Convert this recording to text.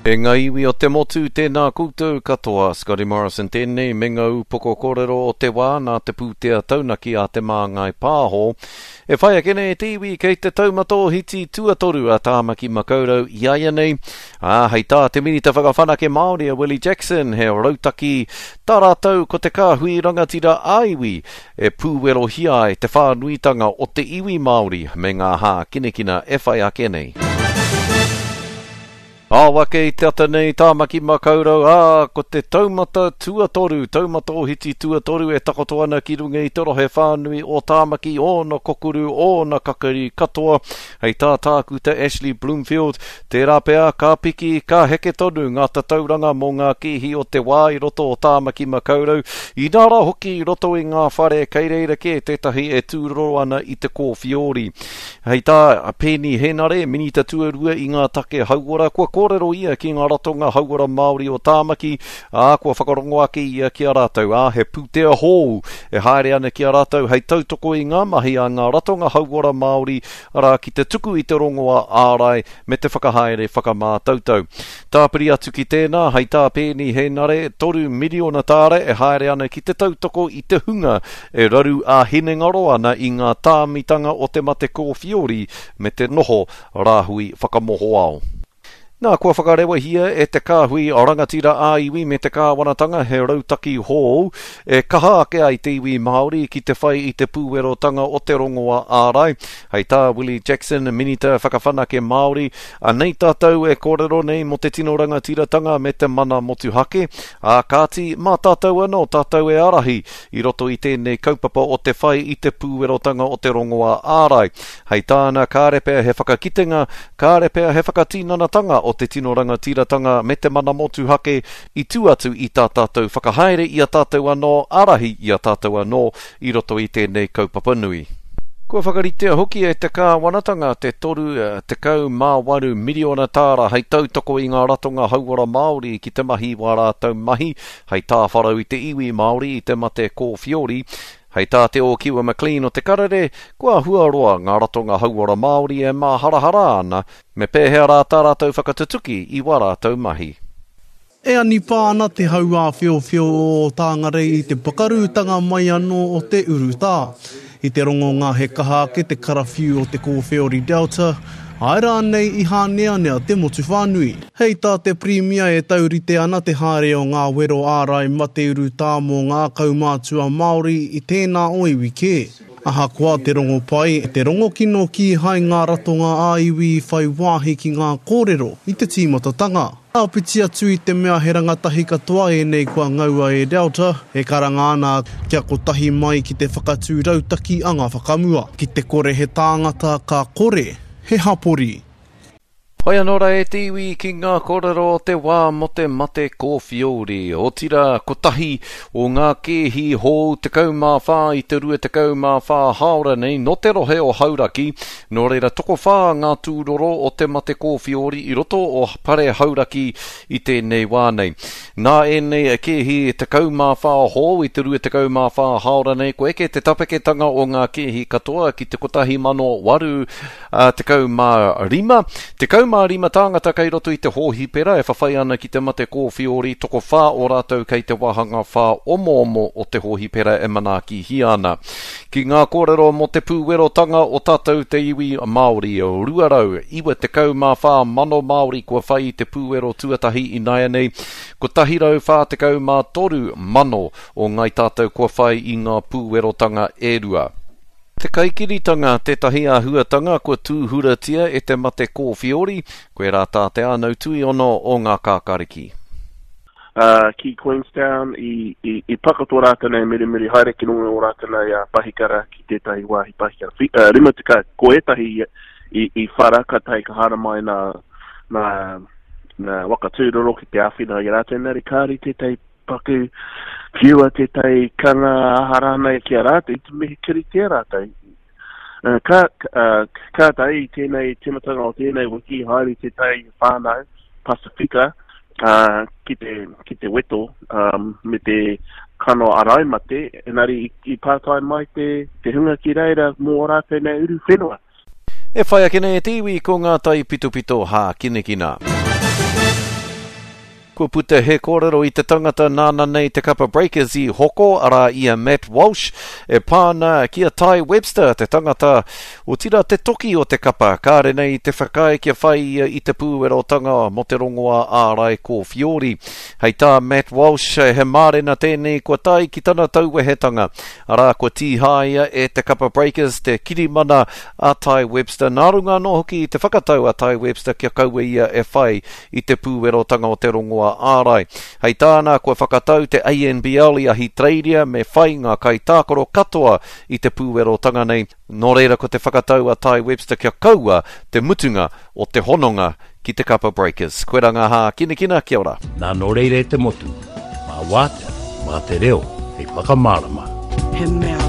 E ngā iwi o te motu, tēnā koutou katoa. Scotty Morrison tēnei me ngā upoko kōrero o te wā nā te pūtea taunaki a Te Māngai Pāho. E whai ake nei te iwi kei te taumata ohiti tuatoru a Tāmaki Makaurau iaianei, ā, hei tā te Minita Whakawhanake Māori a Willie Jackson he rautaki tā rātou ko te kāhui rangatira ā-iwi e pūwerohia ai te whānuitanga o te iwi Māori me ngā hākinakina e whai ake nei. Ao ake i te ata nei Tāmaki Makaurau, ā, ko te taumata tuatoru, taumata ohiti tuatoru e takoto ana ki runga i te rohe whānui o Tāmaki, ōna kokuru, ōna kakari katoa. Hei tā Tākuta Ashley Bloomfield, tērā pea ka piki, ka heke tonu ngā tatauranga mō ngā kēhi o te wā i roto o Tāmaki Makaurau, inā rā hoki i roto i ngā whare kei reira kē tētahi e tūroro ana i te kōwhiori. Hei tā Peeni Henare, Minita Tuarua i ngā take hauora, kua kōrero ia ki ngā ratonga hauora Māori o Tāmaki, ā, kua whakarongo ake ia ki a rātou, ā, he pūtea hōu e haere ana ki a rātou hei tautoko i ngā mahi a ngā ratonga hauora Māori, arā, ki te tuku i te rongoā ārai me te whakahaere whakamātautau. Tāpiri atu ki tēnā, hei tā Peeni Henare, 3 miriona tāra e haere ana ki te tautoko i te hunga e raru ā-hinengaro ana i ngā tāmitanga o te mate kōwhiori me te noho rāhui whakamohoao. Nā, kua whakarewahia e te Kāhui Rangatira ā-Iwi me te Kāwanatanga he rautaki hou e kaha ake ai te iwi Māori ki te whai i te pūwerotanga o te rongoā ārai. Hei tā Willie Jackson, Minita Whakawhanake Māori, Anei tātou e kōrero nei mō te tino rangatiratanga me te mana motuhake, ā kāti, mā tātou anō tātou e ārahi i roto i tēnei kaupapa o te whai i te pūwerotanga o te rongoā ārai. Hei tāna, kāre pea he whakakitenga, kāre pea he whakatinanatanga o te tino rangatiratanga me te mana motuhake i tū atu i tā tātou whakahaere i a tātou anō, ārahi i a tātou anō i roto i tēnei kaupapa nui. Kua whakaritea hoki e te kāwanatanga te 38 miriona tāra hei tautoko i ngā ratonga hauora Māori ki te mahi i wā rātou mahi Hei tāwharau i te iwi Māori i te mate kōwhiori, hei tā Te Ōkiwa McLean o Te Karere, kua huaroa ngā ratonga hauora Māori e māharahara ana me pēhea rā tā rātou whakatutuki i wā rātou mahi. E anipā ana te hau āwhiowhio o Tāngarei i te pakarūtanga mai anō o te urutā. I te rongonga he kaha ake te karawhiu o te kōwheori Delta, āe rānei i hāneanea te motu whānui. Hei tā te Pirimia e taurite ana te haere o ngā wero ārai mate urutā mō ngā kaumātua Māori i tēnā o iwi kē. Ahakoa te rongo pai, te rongo kino kīhai ngā ratonga ā-iwi i whai wāhi ki ngā kōrero i te tīmatatanga. Āpiti atu i te mea he rangatahi katoa ēnei kua ngaua e Delta, e karanga ana kia kotahi mai ki te whakatū rautaki anga whakamua. Ki te kore he tāngata, ka kore he hapori. Hoi anō rā e te iwi ki ngā kōrero o te wā mō te mate kōwhiori. Otirā, kotahi o ngā kēhi hou 14 i te 24 hāora nei nō te rohe o Hauraki, nō reira tokowhā ngā tūroro o te mate kōwhiori i roto o Pare Hauraki i tēnei wā nei. Nā ēnei kēhi 14 hou i te 24 hāora nei, kua eke te tapeketanga o ngā kēhi katoa ki te 1,008 Ā, 15, 15 tāngata kei roto i te hōhipera e whawhai ana ki te mate kōwhiori, tokowhā o rātou kei te wāhanga whāomoomo o te hōhipera e manaakihia ana. Ki ngā kōrero mō te pūwerotanga o tātou te iwi Māori, 294 mano Māori kua whai i te pūwero tuatahi ināianei, 143 mano o ngāi tātou kua whai i ngā pūwerotanga e rua. Te kaikiritanga tētahi āhuatanga kua tūhuratia e te mate kōwhiori, koirā tā Te Ānau Tuiono o Ngā Kākāriki. Ā, ki Queenstown, i, i, i paka tō rātou nei mirimiri haere ki runga o rātou nei ā, pahikara ki tētahi wāhi pahikara. Whi, ā, 50, ko ētahi i, i, i whara, kātahi ka haere mai nā, nā, nā waka tūroro ki te āwhina i a rātou, engari kāore tētahi Paku whiua tētahi kanga aha rānei ki a rātou, i te mihi kiritea rātou. Ka, kātahi i tēnei tīmatanga o tēnei wiki, haere tētahi whānau Pasifika ki te, ki te weto me te kano arai mate, engari i, i pātai mai te, te hunga ki reira mō ō rātou nei uru whenua. E whai ake nei e te iwi ko ngā taipitopito hākinakina. Kua puta he kōrero i te tangata nāna nei te kapa Breakers i hoko, arā i a Matt Walsh, e pā ana ki a Tai Webster, te tangata, otirā te toki o te kapa, kāre nei i te whakaae kia whai ia i te pūwerotanga mō te rongoā ārai kōwhiori. Hei tā Matt Walsh, he mārena tēnei kua tae ki tana tauwehetanga, arā kua tīhaea e te kapa Breakers te kirimana a Tai Webster, nā runga anō hoki i te whakatau a Tai Webster kia kaua ia e whai i te pūwerotanga o te rongoā ārai. Hei tāna, kua whakatau te ANBL i Ahitereiria me whai ngā kaitākaro katoa i te pūwerotanga nei, nō reira ko te whakatau a Tai Webster kia kaua te mutunga o te hononga ki te kapa Breakers. Koira ngā hākinakina, kia ora. Nā nō reira e te motu, mā Wātea, mā te reo hei whakamārama. He mea.